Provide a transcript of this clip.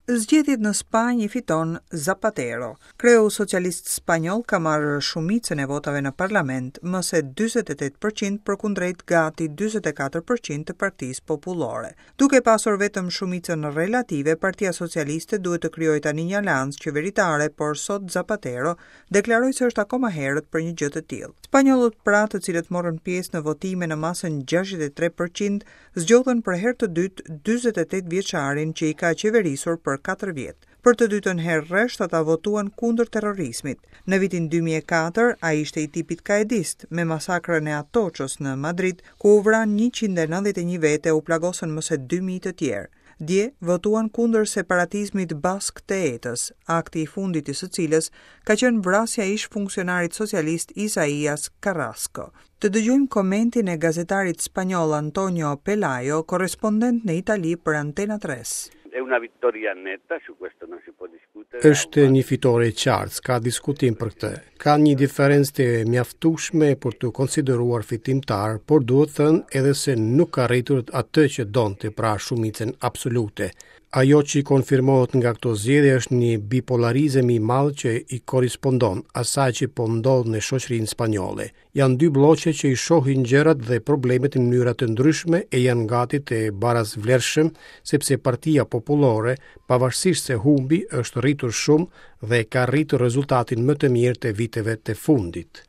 Zgjedhjet në Spanjë i fiton Zapatero. Kreu socialist spanjoll ka marrë shumicën e votave në parlament, më se 48 për qind përkundrejt gati 44 për qind të Partisë Popullore. Duke pasur vetëm shumicën relative, Partia Socialiste duhet të krijojë tani një aleancë qeveritare, por sot Zapatero deklaroi se është akoma herët për një gjë të tillë. Spanjollët pra, të cilët morën pjesë në votime në masën 63 për qind, zgjodhën për herë të dytë 48 vjeçarin që i ka qeverisur për 4 vjet. Për të dytën herë rresht ata votuan kundër terrorizmit. Në vitin 2004 ai ishte i tipit kaedist me masakrën e Atoçës në Madrid, ku u vranë 191 vete e u plagosën më se 2000 të tjerë. Dje votuan kundër separatizmit bask të ETA-s, akti i fundit i së cilës ka qenë vrasja e ish funksionarit socialist Isaias Carrasco. Të dëgjojmë komentin e gazetarit spanjoll Antonio Pelayo, korrespondent në Itali për Antena 3. È una vittoria netta, su questo non si può discutere. Është një fitore e qartë, s'ka diskutim për këtë. Ka një diferencë të mjaftueshme për t'u konsideruar fitimtar, por duhet thënë edhe se nuk ka arritur atë që donte, pra shumicën absolute. Ajo që konfirmohet nga këto zgjedhje është një bipolarizëm i madh që i korrespondon asaj që po ndodh në shoqërinë spanjolle. Janë dy blloqe që i shohin gjërat dhe problemet në mënyra të ndryshme e janë gati të barasvlershëm, sepse Partia Popullore, pavarësisht se humbi, është rritur shumë dhe ka rritur rezultatin më të mirë të viteve të fundit.